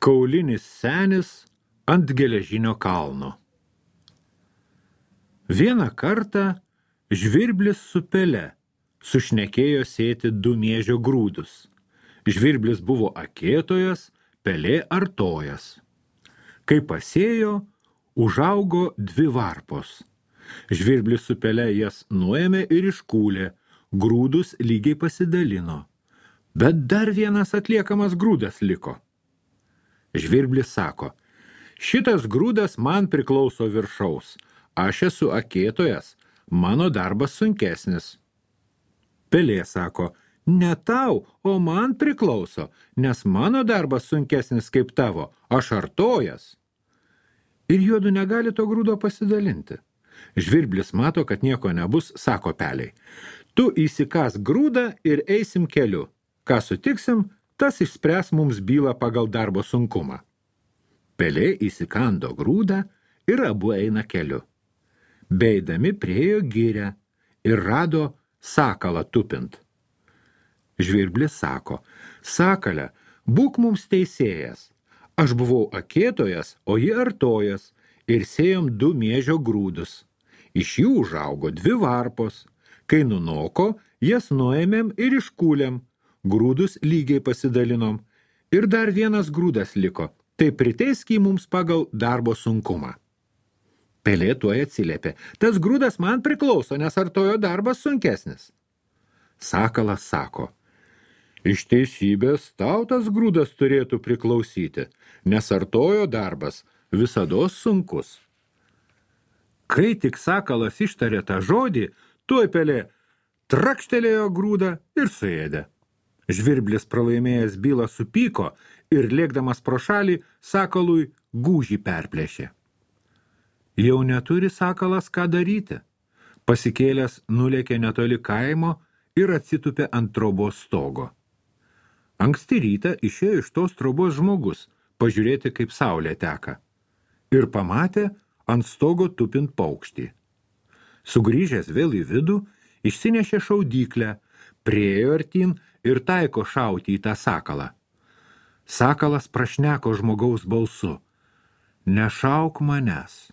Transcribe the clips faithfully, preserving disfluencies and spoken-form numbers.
Kaulinis senis ant geležinio kalno. Vieną kartą žvirblis su pele sušnekėjo sėti du miežio grūdus. Žvirblis buvo akėtojas, pelė artojas. Kai pasėjo, užaugo dvi varpos. Žvirblis su pele jas nuėmė ir iškūlė, grūdus lygiai pasidalino. Bet dar vienas atliekamas grūdas liko. Žvirblis sako, šitas grūdas man priklauso viršaus, aš esu akėtojas, mano darbas sunkesnis. Pelė sako, ne tau, o man priklauso, nes mano darbas sunkesnis kaip tavo, aš artojas. Ir juodu negali to grūdo pasidalinti. Žvirblis mato, kad nieko nebus, sako peliai. Tu įsikas grūdą ir eisim keliu. Ką sutiksim, tas išspręs mums bylą pagal darbo sunkumą. Pelė įsikando grūdą ir abu eina keliu. Beeidami priėjo girią ir rado sakalą tupint. Žvirblis sako, sakale, būk mums teisėjas. Aš buvau akėtojas, o ji artojas ir sėjom du miežio grūdus. Iš jų užaugo dvi varpos. Kai nunoko, jas nuėmėm ir iškūlėm. Grūdus lygiai pasidalinom. Ir dar vienas grūdas liko. Tai priteisk jį mums pagal darbo sunkumą. Pelė tuoj atsiliepė. Tas grūdas man priklauso, nes artojo darbas sunkesnis. Sakalas sako, iš teisybės tau tas grūdas turėtų priklausyti, nes artojo darbas visados sunkus. Kai tik sakalas ištarė tą žodį, tuoj pelė trakštelėjo grūdą ir suėdė. Žvirblis pralaimėjęs bylą supyko ir lėkdamas pro šalį sakalui gūžį perplėšė. Jau neturi sakalas ką daryti. Pasikėlęs nulėkė netoli kaimo ir atsitupė ant trobos stogo. Anksti rytą išėjo iš tos trobos žmogus pažiūrėti, kaip saulė teka. Ir pamatė ant stogo tupint paukštį. Sugrįžęs vėl į vidų, išsinešė šaudyklę, priėjo artyn ir taiko šauti į tą sakalą. Sakalas prašneko žmogaus balsu. Nešauk manęs.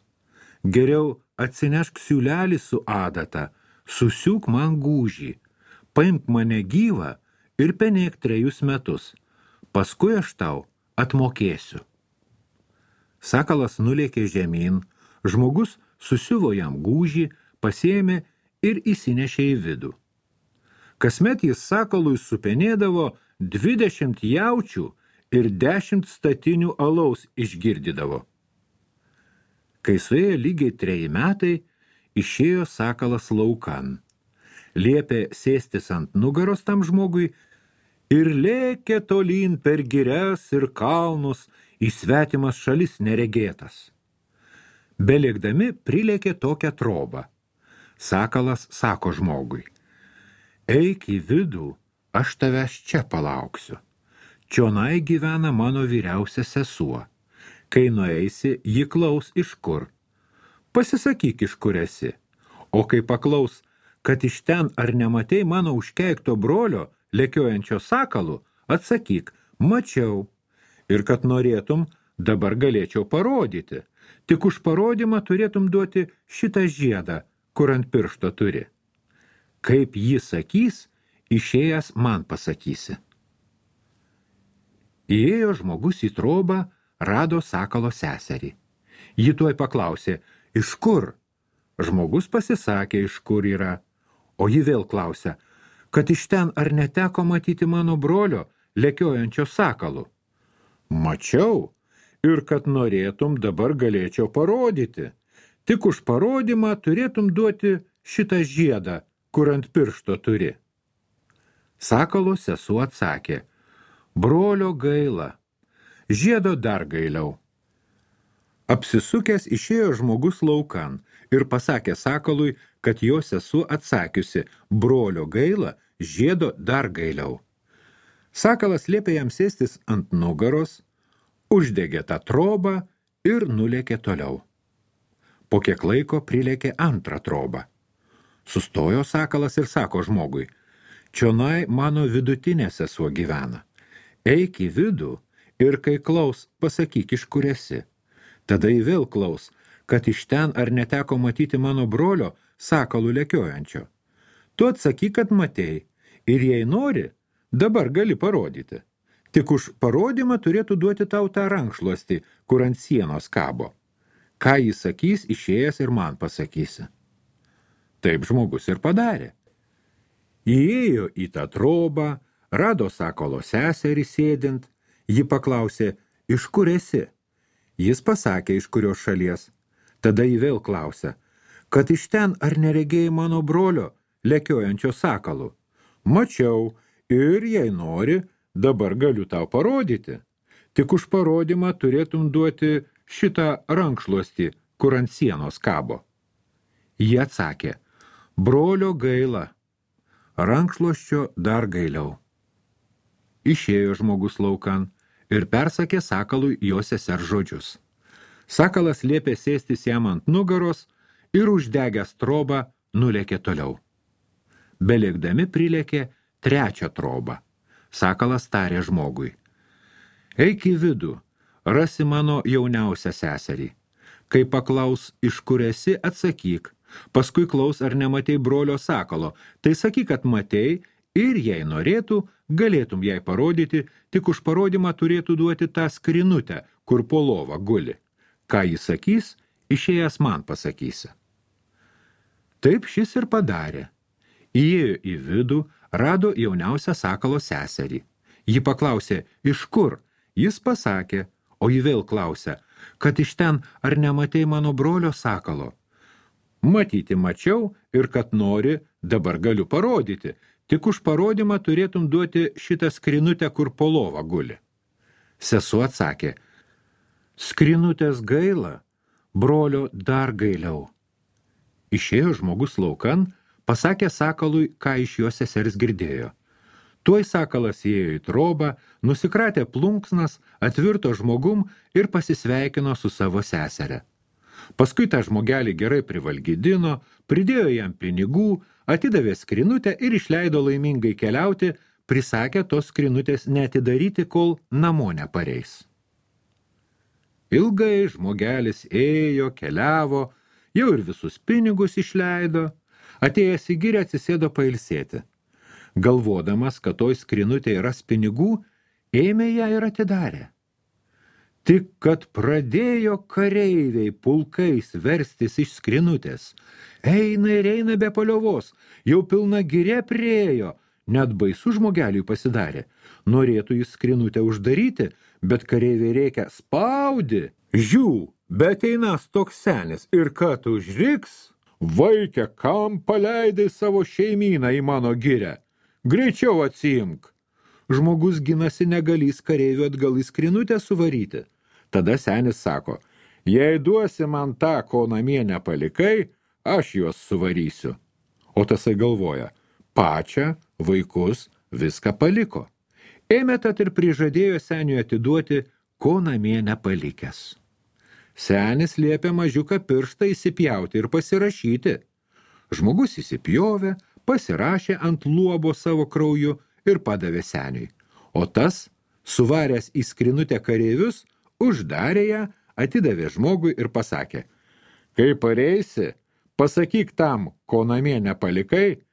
Geriau atsinešk siūlelį su adata, susiūk man gūžį, paimk mane gyvą ir penėk trejus metus. Paskui aš tau atmokėsiu. Sakalas nulėkė žemyn, žmogus susiuvo jam gūžį, pasiėmė ir įsinešė į vidų. Kasmet jis sakalui supenėdavo dvidešimt jaučių ir dešimt statinių alaus išgirdydavo. Kai suėjo lygiai treji metai, išėjo sakalas laukan. Liepė sėstis ant nugaros tam žmogui ir lėkė tolyn per girias ir kalnus į svetimas šalis neregėtas. Belėkdami prilėkė tokią trobą. Sakalas sako žmogui, eik į vidų, aš tavęs čia palauksiu. Čionai gyvena mano vyriausia sesuo. Kai nueisi, ji klaus iš kur. Pasisakyk, iš kur esi. O kai paklaus, kad iš ten ar nematei mano užkeikto brolio, lekiojančio sakalų, atsakyk, mačiau. Ir kad norėtum, dabar galėčiau parodyti. Tik už parodymą turėtum duoti šitą žiedą, kur ant piršto turi. Kaip jį sakys, išėjęs man pasakysi. Įėjo žmogus į trobą, rado sakalo seserį. Ji tuoj paklausė, iš kur? Žmogus pasisakė, iš kur yra. O ji vėl klausė, kad iš ten ar neteko matyti mano brolio, lekiojančio sakalų. Mačiau, ir kad norėtum, dabar galėčiau parodyti. Tik už parodymą turėtum duoti šitą žiedą, kur ant piršto turi. Sakalo sesuo atsakė, brolio gaila, žiedo dar gailiau. Apsisukęs išėjo žmogus laukan ir pasakė sakalui, kad jo sesuo atsakiusi, brolio gaila, žiedo dar gailiau. Sakalas liepė jam sėstis ant nugaros, uždegė tą trobą ir nulėkė toliau. Po kiek laiko prilėkė antrą trobą. Sustojo sakalas ir sako žmogui, čionai mano vidutinė sesuo gyvena. Eik į vidų Ir kai klaus, pasakyk, iš kur esi. Tada jį vėl klaus, kad iš ten ar neteko matyti mano brolio sakalų lekiojančio. Tu atsakyk, kad matei, ir jei nori, dabar gali parodyti. Tik už parodymą turėtų duoti tau tą rankšluostį, kur ant sienos kabo. Ką jis sakys, išėjęs ir man pasakysi. Taip žmogus ir padarė. Įėjo į tą trobą, rado sakalo seserį sėdint, ji paklausė, iš kur esi? Jis pasakė, iš kurios šalies. Tada jį vėl klausė, kad iš ten ar neregėjai mano brolio, lekiojančio sakalų. Mačiau ir, jei nori, dabar galiu tau parodyti. Tik už parodymą turėtum duoti šitą rankšluostį, kur ant sienos kabo. Jie atsakė, brolio gaila, rankšluosčio dar gailiau. Išėjo žmogus laukan ir persakė sakalui jo sesers žodžius. Sakalas liepė sėstis jam ant nugaros ir uždegęs trobą nulėkė toliau. Belėkdami prilėkė trečią trobą. Sakalas tarė žmogui, eik į vidų, rasi mano jauniausią seserį. Kai paklaus, iš kur esi, atsakyk. Paskui klaus, ar nematei brolio sakalo. Tai sakyk, kad matei ir jei norėtų, galėtum jai parodyti, tik už parodymą turėtų duoti tą skrinutę, kur po lova guli. Ką jis sakys, išėjęs man pasakysi. Taip šis ir padarė. Įėjo į vidų, rado jauniausią sakalo seserį. Ji paklausė, iš kur? Jis pasakė, o ji vėl klausė, kad iš ten ar nematei mano brolio sakalo. Matyti mačiau ir kad nori, dabar galiu parodyti. Tik už parodymą turėtum duoti šitą skrinutę, kur po lova guli. Sesuo atsakė, skrinutės gaila, brolio dar gailiau. Išėjo žmogus laukan, pasakė sakalui, ką iš jo sesers girdėjo. Tuoj sakalas įėjo į trobą, nusikratė plunksnas, atvirto žmogum ir pasisveikino su savo seserė. Paskui tą žmogelį gerai privalgydino, pridėjo jam pinigų, atidavė skrinutę ir išleido laimingai keliauti, prisakė tos skrinutės neatidaryti, kol namo nepareis. Ilgai žmogelis ėjo, keliavo, jau ir visus pinigus išleido, atėjęs į girę atsisėdo pailsėti. Galvodamas, kad toj skrinutė ras pinigų, ėmė ją ir atidarė. Tik kad pradėjo kareiviai pulkais verstis iš skrinutės. Eina ir eina be paliovos, jau pilna girė priėjo, net baisu žmogeliui pasidarė. Norėtų jis skrinutę uždaryti, bet kareiviai rėkia spaudi. Žiū, bet einas toks senis ir kad užriks, vaikė, kam paleidai savo šeimyną į mano girę? Greičiau atsiimk. Žmogus ginasi negalys kareivių atgal į skrinutę suvaryti. Tada senis sako, jei duosi man tą, ko namie nepalikai, aš juos suvarysiu. O tasai galvoja, pačią, vaikus, viską paliko. Ėmė tad ir prižadėjo seniui atiduoti, ko namie nepalikęs. Senis liepė mažiuką pirštą įsipjauti ir pasirašyti. Žmogus įsipjovė, pasirašė ant luobo savo krauju ir padavė seniui. O tas, suvaręs į skrinutę kareivius, uždarė ją, atidavė žmogui ir pasakė, kai pareisi, pasakyk tam, ko namie nepalikai,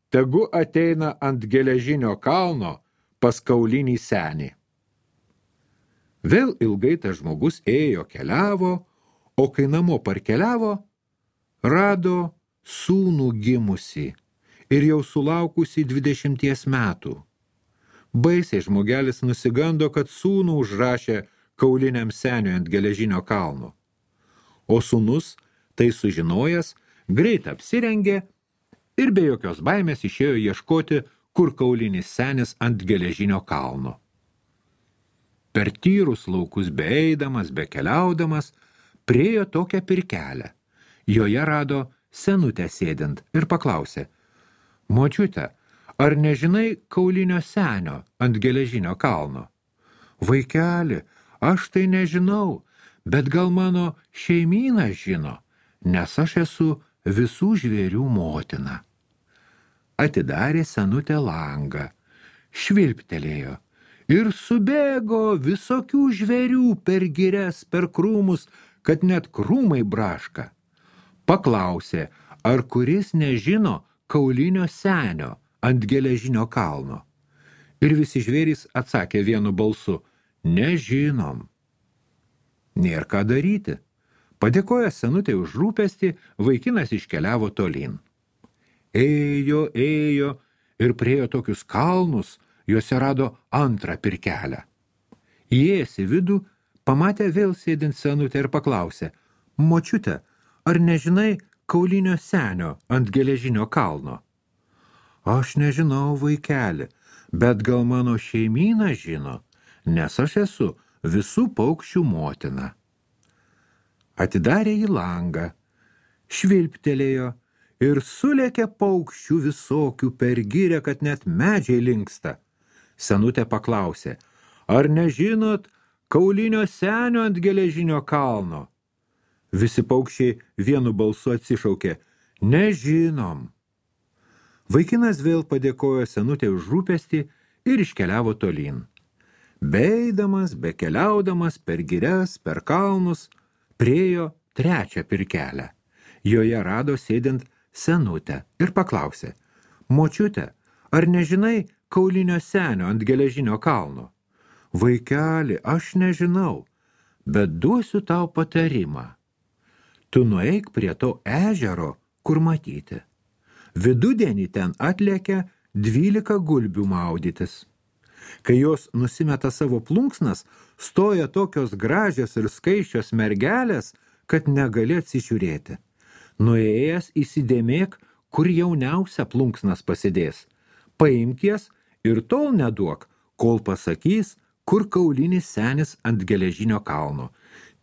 tegu ateina ant geležinio kalno pas kaulinį senį. Vėl ilgai tas žmogus ėjo, keliavo, o kai namo parkeliavo, rado sūnų gimusį ir jau sulaukusi dvidešimties metų. Baisiai žmogelis nusigando, kad sūnų užrašė kauliniam seniui ant geležinio kalno. O sūnus, tai sužinojęs, greit apsirengė ir be jokios baimės išėjo ieškoti, kur kaulinis senis ant geležinio kalno. Per tyrus laukus beeidamas, bekeliaudamas, priėjo tokią pirkelę. Joje rado senutę sėdint ir paklausė, močiute, ar nežinai kaulinio senio ant geležinio kalno? Vaikeli, aš tai nežinau, bet gal mano šeimyna žino, nes aš esu visų žvėrių motina. Atidarė senutė langą, švilptelėjo Ir subėgo visokių žvėrių per girias, per krūmus, kad net krūmai braška. Paklausė, ar kuris nežino kaulinio senio ant geležinio kalno. Ir visi žvėrys atsakė vienu balsu, nežinom. Nėr ką daryti. Padėkojęs senutei už rūpestį, vaikinas iškeliavo tolyn. Ėjo, ėjo ir priėjo tokius kalnus, juose rado antrą pirkelę. Įėjęs į vidų, pamatė vėl sėdint senutę ir paklausė, močiute, ar nežinai kaulinio senio ant geležinio kalno? Aš nežinau, vaikeli, bet gal mano šeimyna žino, nes aš esu visų paukščių motina. Atidarė į langą, švilptelėjo ir sulėkė paukščių visokių per girią, kad net medžiai linksta. Senutė paklausė, ar nežinot kaulinio senio ant geležinio kalno? Visi paukščiai vienu balsu atsišaukė, nežinom. Vaikinas vėl padėkojo senutė už rūpestį ir iškeliavo tolyn. Beeidamas, bekeliaudamas per girias, per kalnus, priėjo trečią pirkelę. Joje rado sėdint senutę ir paklausė, močiute, ar nežinai kaulinio senio ant geležinio kalno? Vaikeli, aš nežinau, bet duosiu tau patarimą. Tu nueik prie to ežero, kur matyti. Vidudienį ten atlėkia dvylika gulbių maudytis. Kai jos nusimeta savo plunksnas, stoja tokios gražios ir skaičios mergelės, kad negali atsižiūrėti. Nuėjęs įsidėmėk, kur jauniausia plunksnas pasidės. Paimk jas ir tol neduok, kol pasakys, kur kaulinis senis ant geležinio kalno.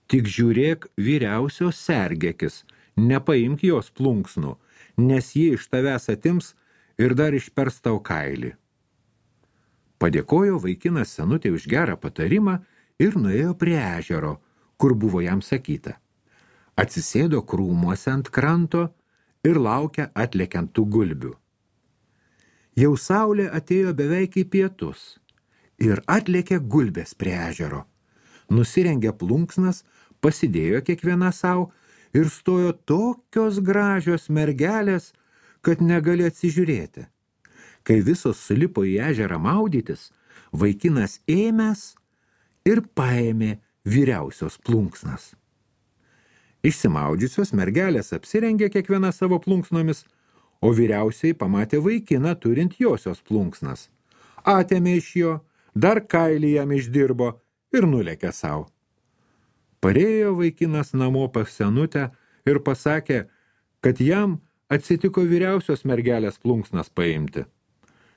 Tik žiūrėk vyriausios sergėkis, nepaimk jos plunksnų, nes jie iš tavęs atims ir dar išpers tau kailį. Padėkojo vaikinas senutė už gerą patarimą ir nuėjo prie ežero, kur buvo jam sakyta. Atsisėdo krūmuose ant kranto ir laukia atlekiant tų gulbių. Jau saulė atėjo beveik į pietus ir atlėkė gulbės prie ežero. Nusirengė plunksnas, pasidėjo kiekviena savo ir stojo tokios gražios mergelės, kad negali atsižiūrėti. Kai visos sulipo į ežerą maudytis, vaikinas ėmęs ir paėmė vyriausios plunksnas. Išsimaudžiusios mergelės apsirengė kiekviena savo plunksnomis, o vyriausiai pamatė vaikiną turint josios plunksnas. Atėmė iš jo, dar kailį jam išdirbo ir nulėkė savo. Parėjo vaikinas namo pas senutę ir pasakė, kad jam atsitiko vyriausios mergelės plunksnas paimti.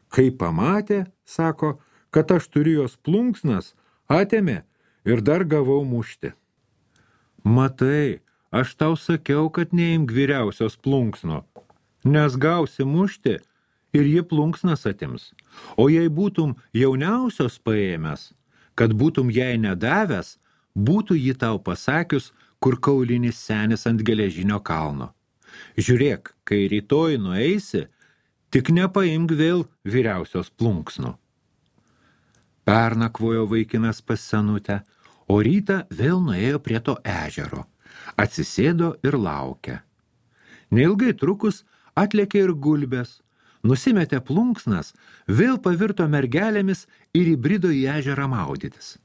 Kai pamatė, sako, kad aš turiu jos plunksnas, atėmė ir dar gavau mušti. Matai, aš tau sakiau, kad neimk vyriausios plunksno, nes gausi mušti ir ji plunksnas atims. O jei būtum jauniausios paėmęs, kad būtum jai nedavęs, būtų ji tau pasakius, kur kaulinis senis ant geležinio kalno. Žiūrėk, kai rytoj nueisi, tik nepaimk vėl vyriausios plunksnų. Pernakvojo vaikinas pas senutę, o rytą vėl nuėjo prie to ežero. Atsisėdo ir laukė. Neilgai trukus atlėkė ir gulbės, nusimetė plunksnas, vėl pavirto mergelėmis ir įbrido į ežerą maudytis.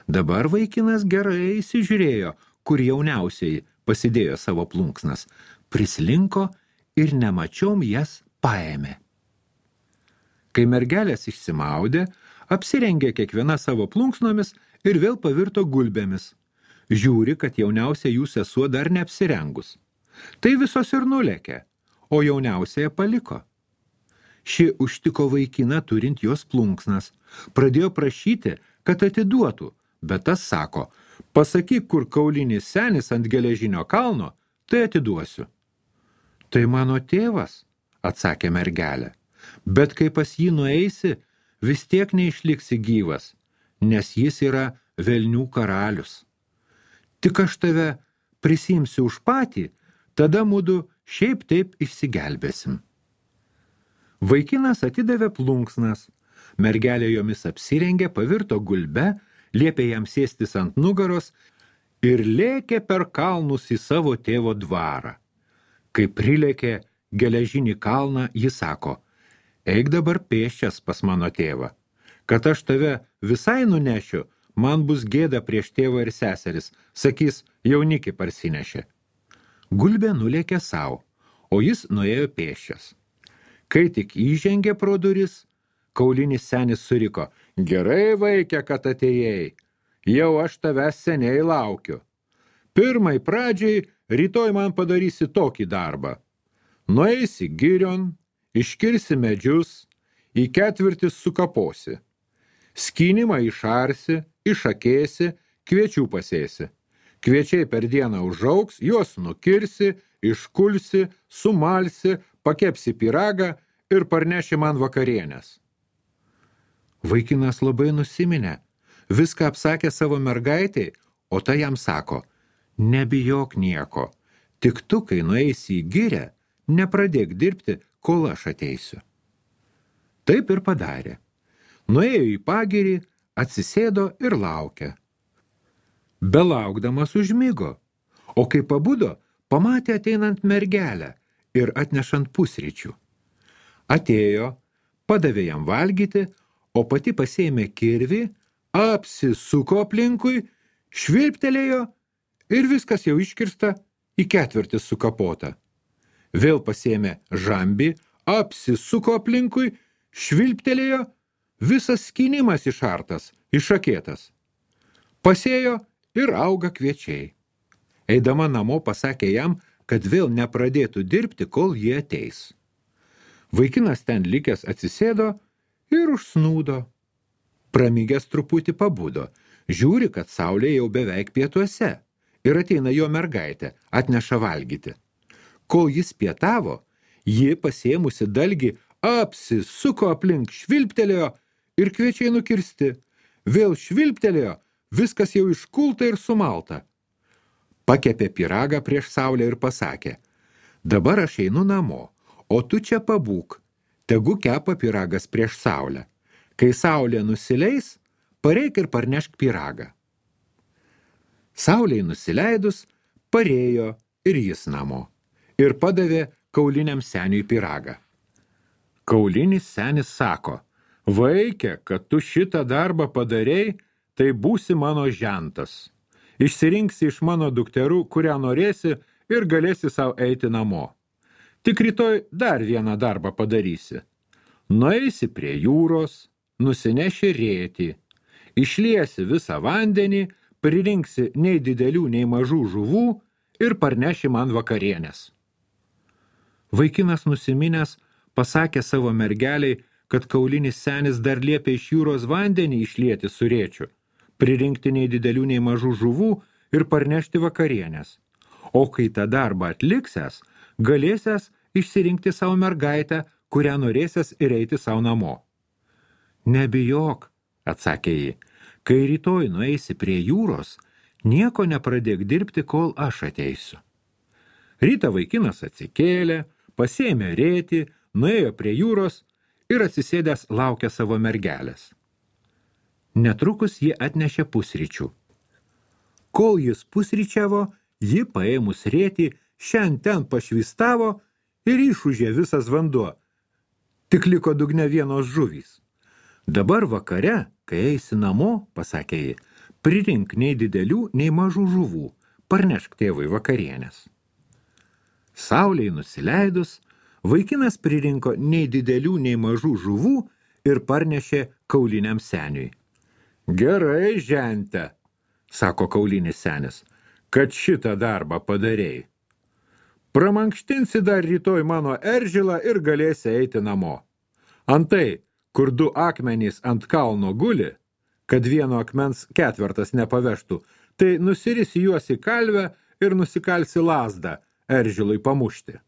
Dabar vaikinas gerai įsižiūrėjo, kur jauniausiai pasidėjo savo plunksnas, prislinko ir nemačiom jas paėmė. Kai mergelės išsimaudė, apsirengė kiekviena savo plunksnomis ir vėl pavirto gulbėmis. Žiūri, kad jauniausia jų sesuo dar neapsirengus. Tai visos ir nulėkė, o jauniausiaje paliko. Ši užtiko vaikiną turint jos plunksnas, pradėjo prašyti, kad atiduotų, bet tas sako, pasakyk, kur kaulinis senis ant geležinio kalno, tai atiduosiu. Tai mano tėvas, atsakė mergelė, bet kai pas jį nueisi, vis tiek neišliksi gyvas, nes jis yra velnių karalius. Tik aš tave prisimsiu už patį, tada mudu šiaip taip išsigelbėsim. Vaikinas atidavė plunksnas, Mergelė jomis apsirengė, pavirto gulbe, liepė jam sėstis ant nugaros ir lėkė per kalnus į savo tėvo dvarą. Kai prilėkė geležinį kalną, jis sako, eik dabar pėsčias pas mano tėvą. Kad aš tave visai nunešiu, man bus gėda prieš tėvą ir seseris, sakys, jaunikį parsinešė. Gulbė nulėkė savo, o jis nuėjo pėsčias. Kai tik įžengė pro duris, kaulinis senis suriko, gerai vaikė, kad atėjai, jau aš tavęs seniai laukiu. Pirmai pradžiai rytoj man padarysi tokį darbą. Nueisi girion, iškirsi medžius, į ketvirtis sukaposi. Skynimą išarsi, išakėsi, kviečių pasėsi. Kviečiai per dieną užaugs, juos nukirsi, iškulsi, sumalsi, pakepsi pyragą ir parneši man vakarienės. Vaikinas labai nusiminė, viską apsakė savo mergaitei, o ta jam sako, nebijok nieko, tik tu, kai nueisi į girę, nepradėk dirbti, kol aš ateisiu. Taip ir padarė. Nuėjo į pagirį, atsisėdo ir laukė. Belaukdamas užmigo, o kai pabudo, pamatė ateinant mergelę ir atnešant pusryčių. Atėjo, padavė jam valgyti, o pati pasėmė kirvį, apsisuko aplinkui, švilptelėjo ir viskas jau iškirsta į ketvirtis sukapota. Vėl pasėmė žambį, apsisuko aplinkui, švilptelėjo, visas skynimas išartas, išakėtas. Pasėjo ir auga kviečiai. Eidama namo pasakė jam, kad vėl nepradėtų dirbti, kol jie ateis. Vaikinas ten likęs atsisėdo ir užsnūdo. Pramigęs truputį pabudo, žiūri, kad saulė jau beveik pietuose ir ateina jo mergaitė, atneša valgyti. Kol jis pietavo, ji pasėmusi dalgį apsisuko aplink, švilptelėjo ir kviečiai nukirsti. Vėl švilptelėjo, viskas jau iškulta ir sumalta. Pakepė pyragą prieš saulę ir pasakė, dabar aš einu namo, o tu čia pabūk, tegu kepa pyragas prieš saulę. Kai saulė nusileis, pareik ir parnešk pyragą. Saulei nusileidus, parėjo ir jis namo ir padavė kauliniam seniui pyragą. Kaulinis senis sako, vaikė, kad tu šitą darbą padarei, tai būsi mano žentas. Išsirinksi iš mano dukterų, kurią norėsi ir galėsi savo eiti namo. Tik rytoj dar vieną darbą padarysi. Nueisi prie jūros, nusineši rėtį, išliesi visą vandenį, pririnksi nei didelių, nei mažų žuvų ir parneši man vakarienės. Vaikinas nusiminęs pasakė savo mergeliai, kad kaulinis senis dar liepė iš jūros vandenį išlieti su rėčiu, pririnkti nei didelių, nei mažų žuvų ir parnešti vakarienės. O kai tą darbą atliksęs, galėsęs išsirinkti savo mergaitę, kurią norėsęs ir eiti savo namo. Nebijok, atsakė ji, kai rytoj nueisi prie jūros, nieko nepradėk dirbti, kol aš ateisiu. Rytą vaikinas atsikėlė, pasėmė rėtį, nuėjo prie jūros ir atsisėdęs laukė savo mergelės. Netrukus ji atnešė pusryčių. Kol jis pusryčiavo, ji paėmus rėtį, šiandien ten pašvistavo ir išūžė visas vanduo. Tik liko dugne vienos žuvys. Dabar vakare, kai eisi namo, pasakė ji, prirink nei didelių, nei mažų žuvų, parnešk tėvui vakarienės. Saulei nusileidus, vaikinas pririnko nei didelių, nei mažų žuvų ir parnešė kauliniam seniui. Gerai, žente, sako kaulinis senis, kad šitą darbą padarei. Pramankštinsi dar rytoj mano eržilą ir galėsi eiti namo. Antai, kur du akmenys ant kalno guli, kad vieno akmens ketvertas nepavežtų, tai nusirisi juos į kalvę ir nusikalsi lazdą eržilui pamušti.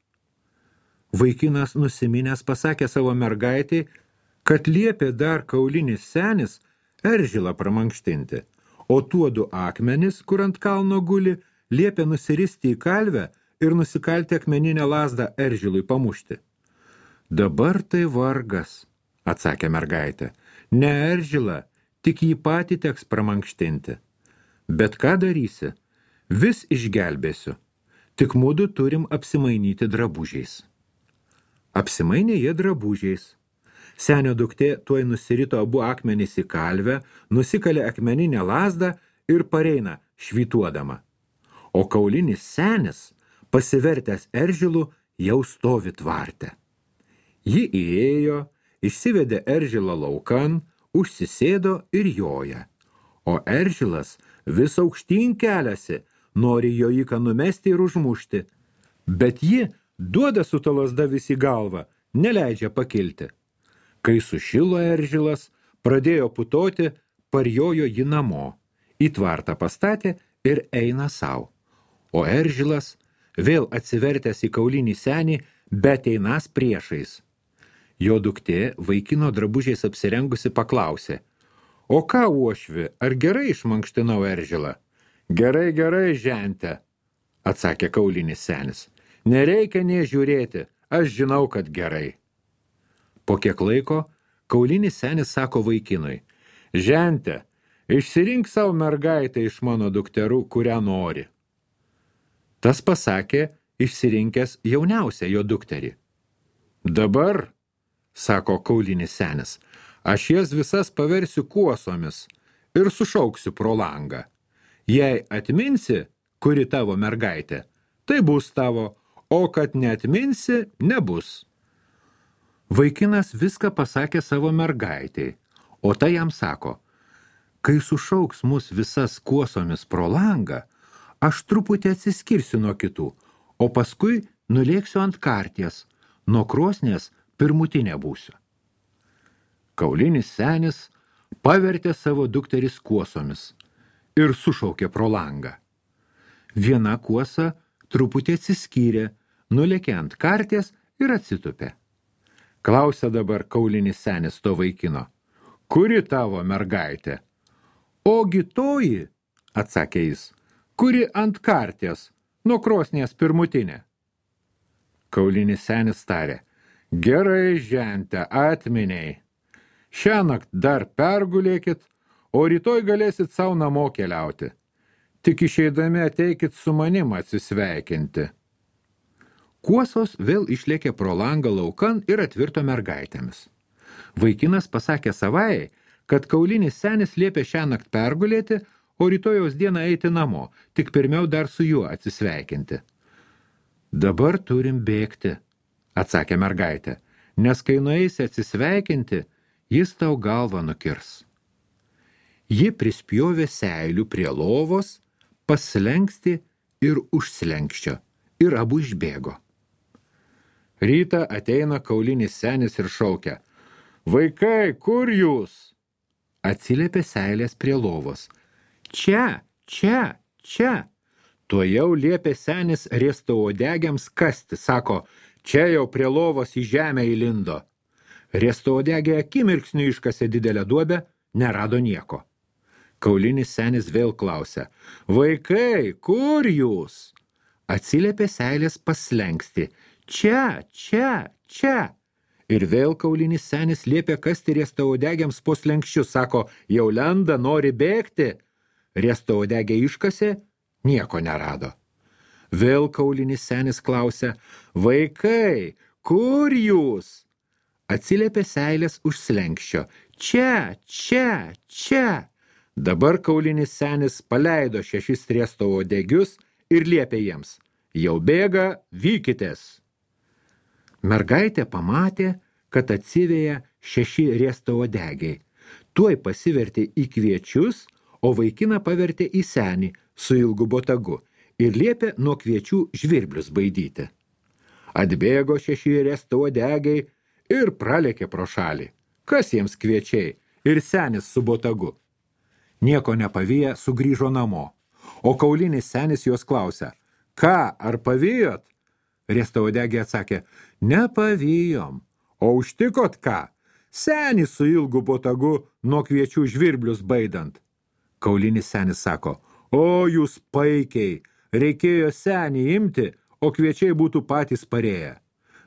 Vaikinas nusiminęs pasakė savo mergaitai, kad liepė dar kaulinis senis eržilą pramankštinti, o tuodu akmenis, kur ant kalno guli, liepė nusiristi į kalvę ir nusikalti akmeninę lazdą eržilui pamušti. Dabar tai vargas, atsakė mergaitė, Ne eržilą, tik jį patį teks pramankštinti. Bet ką darysi? Vis išgelbėsiu. Tik mudu turim apsimainyti drabužiais. Apsimainė jie drabužiais. Senio duktė tuoj nusirito abu akmenys į kalvę, nusikalė akmeninę lazdą ir pareina švytuodama. O kaulinis senis, pasivertęs eržilų, jau stovi tvarte. Ji įėjo, išsivedė eržilą laukan, užsisėdo ir joja. O eržilas vis aukštyn keliasi, nori jojiką numesti ir užmušti. Bet ji duoda su ta lazda vis į galvą, neleidžia pakilti. Kai sušilo eržilas, pradėjo putoti, parjojo ji namo, į tvartą pastatė ir eina sau. O eržilas, vėl atsivertęs į kaulinį senį, bet einas priešais. Jo duktė, vaikino drabužiais apsirengusi, paklausė: O ką, uošvi, ar gerai išmankštinau eržilą? Gerai, gerai, žente, atsakė kaulinis senis. Nereikia nė žiūrėti, aš žinau, kad gerai. Po kiek laiko kaulinis senis sako vaikinui: Žente, išsirink savo mergaitę iš mano dukterų, kurią nori. Tas pasakė, išsirinkęs jauniausią jo dukterį. Dabar, sako kaulinis senis, aš jas visas paversiu kuosomis ir sušauksiu pro langą. Jei atminsi, kuri tavo mergaitė, tai bus tavo, o kad neatminsi, nebus. Vaikinas viską pasakė savo mergaitei, o ta jam sako: Kai sušauks mus visas kuosomis pro langą, aš truputį atsiskirsiu nuo kitų, o paskui nulėksiu ant karties, nuo krosnės pirmutinė būsiu. Kaulinis senis pavertė savo dukteris kuosomis ir sušaukė pro langą. Viena kuosa truputį atsiskyrė, nulėkė ant karties ir atsitupė. Klausia dabar kaulinis senis to vaikino: Kuri tavo mergaitė? Ogi toji, atsakė jis, kuri ant karties, nuo krosnės pirmutinė. Kaulinis senis tarė: Gerai, žente, atminiai. Šiąnakt dar pergulėkit, o rytoj galėsit savo namo keliauti. Tik išeidami ateikit su manim atsisveikinti. Kuosos vėl išlėkė pro langą laukan ir atvirto mergaitėmis. Vaikinas pasakė savai, kad kaulinis senis liepė šiąnakt pergulėti, o rytojaus dieną eiti namo, tik pirmiau dar su juo atsisveikinti. Dabar turim bėgti, atsakė mergaitė, nes kai nueisi atsisveikinti, jis tau galvą nukirs. Ji prispjovė seilių prie lovos, paslenksti ir užslenkščio, ir abu išbėgo. Rytą ateina kaulinis senis ir šaukia: Vaikai, kur jūs? Atsiliepė seilės prie lovos. Čia, čia, čia. Tuojau liepė senis riestauodegiams kasti, sako: Čia jau prie lovos į žemę įlindo. Riestauodegė akimirksniu iškasė didelę duobę, nerado nieko. Kaulinis senis vėl klausia: Vaikai, kur jūs? Atsiliepė seilės paslenksti: Čia, čia, čia. Ir vėl kaulinis senis liepė kasti riestauodegiams po slenkščius, sako: Jau lenda, nori bėgti. Riestauodegė iškasė, nieko nerado. Vėl kaulinis senis klausia: Vaikai, kur jūs? Atsiliepė seilės už slenkščio: Čia, čia, čia. Dabar kaulinis senis paleido šešis riestauodegius ir liepė jiems: Jau bėga, vykitės. Mergaitė pamatė, kad atsiveja šeši riestauodegiai. Tuoj pasivertė į kviečius, o vaikiną pavertė į senį su ilgu botagu ir liepė nuo kviečių žvirblius baidyti. Atbėgo šeši riestauodegiai ir pralėkė pro šalį. Kas jiems kviečiai? Ir senis su botagu. Nieko nepaviję sugrįžo namo, o kaulinis senis juos klausia: Ką, ar pavijot? Riestauodegė atsakė: Nepavijom. O užtikot ką? Senį su ilgu botagu nuo kviečių žvirblius baidant. Kaulinis senis sako: O jūs paikiai, reikėjo senį imti, o kviečiai būtų patys parėję.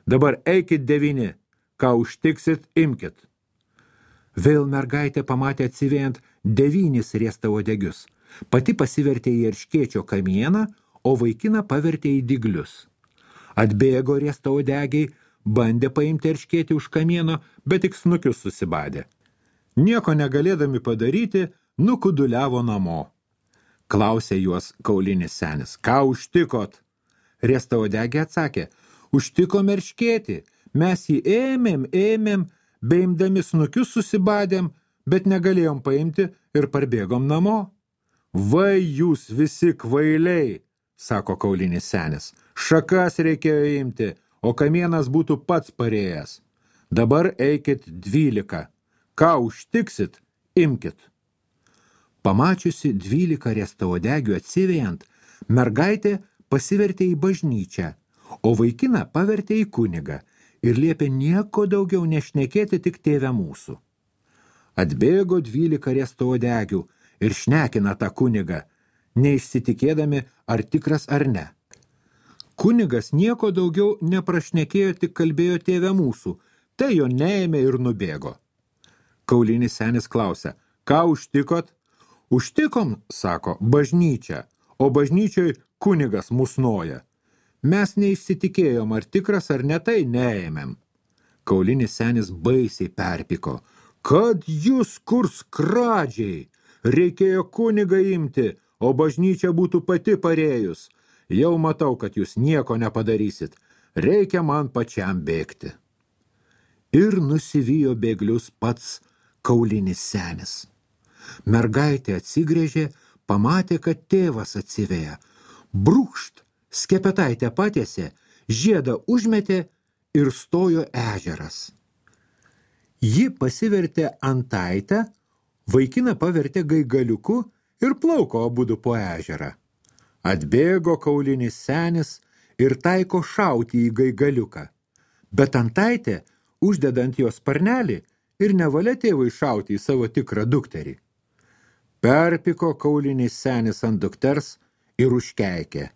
Dabar eikit devyni, ką užtiksit, imkit. Vėl mergaitė pamatė atsivėjant devynis riestauodegius. Pati pasivertė į erškėčio kamieną, o vaikiną pavertė į dyglius. Atbėgo riestauodegiai, bandė paimti erškėtį už kamieno, bet tik snukius susibadė. Nieko negalėdami padaryti, nukuduliavo namo. Klausė juos kaulinis senis, ką užtikot? Riestauodegiai atsakė, užtikom erškėtį, mes jį ėmėm, ėmėm, beimdami snukius susibadėm, bet negalėjom paimti ir parbėgom namo. Vai jūs visi kvailiai, sako kaulinis senis, šakas reikėjo imti, o kamienas būtų pats parėjęs. Dabar eikit dvylika. Ką užtiksit, imkit. Pamačiusi dvylika riestauodegių atsivejant, mergaitė pasivertė į bažnyčią, o vaikiną pavertė į kunigą ir liepė nieko daugiau nešnekėti tik tėve mūsų. Atbėgo dvylika riestauodegių ir šnekina tą kunigą, neišsitikėdami ar tikras ar ne. Kunigas nieko daugiau neprašnekėjo, tik kalbėjo tėve mūsų, tai jo neėmė ir nubėgo. Kaulinis senis klausia, ką užtikot? Užtikom, sako, bažnyčią, o bažnyčioj kunigas musnoja. Mes neišsitikėjom, ar tikras ar ne, tai neėmėm. Kaulinis senis baisiai perpiko, kad jūs kur skradžiai, reikėjo kunigą imti, o bažnyčia būtų pati parėjus. Jau matau, kad jūs nieko nepadarysit, reikia man pačiam bėgti. Ir nusivijo bėglius pats kaulinis senis. Mergaitė atsigrėžė, pamatė, kad tėvas atsiveja. Brūkšt, skepetaitę patiesė, žiedą užmetė ir stojo ežeras. Ji pasivertė antaitę, vaikiną pavertė gaigaliuku ir plauko abudu po ežerą. Atbėgo kaulinis senis ir taiko šauti į gaigaliuką, bet antaitė uždedant jos sparnelį ir nevalia tėvui šauti į savo tikrą dukterį. Perpiko kaulinis senis ant dukters ir užkeikė,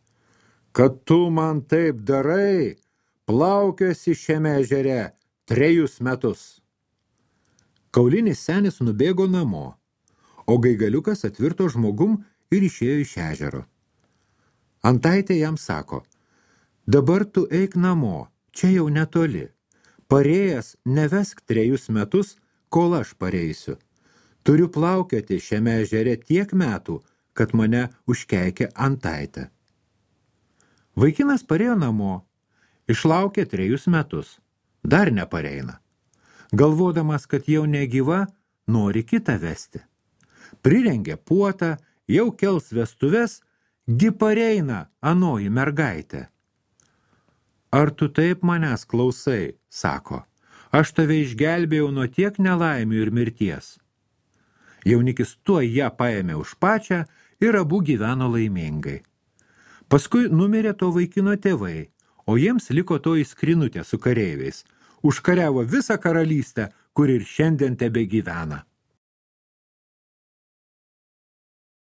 kad tu man taip darai, plaukiosi šiame ežere trejus metus. Kaulinis senis nubėgo namo, o gaigaliukas atvirto žmogum ir išėjo iš ežero. Antaitė jam sako, dabar tu eik namo, čia jau netoli. Parėjęs nevesk trejus metus, kol aš pareisiu. Turiu plaukioti šiame ežere tiek metų, kad mane užkeikė antaitė. Vaikinas parėjo namo, išlaukė trejus metus, dar nepareina. Galvodamas, kad jau negyva, nori kitą vesti. Prirengė puotą, jau kels vestuves, gi pareina anoji mergaitė. Ar tu taip manęs klausai, sako, aš tave išgelbėjau nuo tiek nelaimių ir mirties. Jaunikis tuoj ją paėmė už pačią ir abu gyveno laimingai. Paskui numirė to vaikino tėvai, o jiems liko toji skrinutė su kareiviais. Užkariavo visą karalystę, kur ir šiandien tebe gyvena.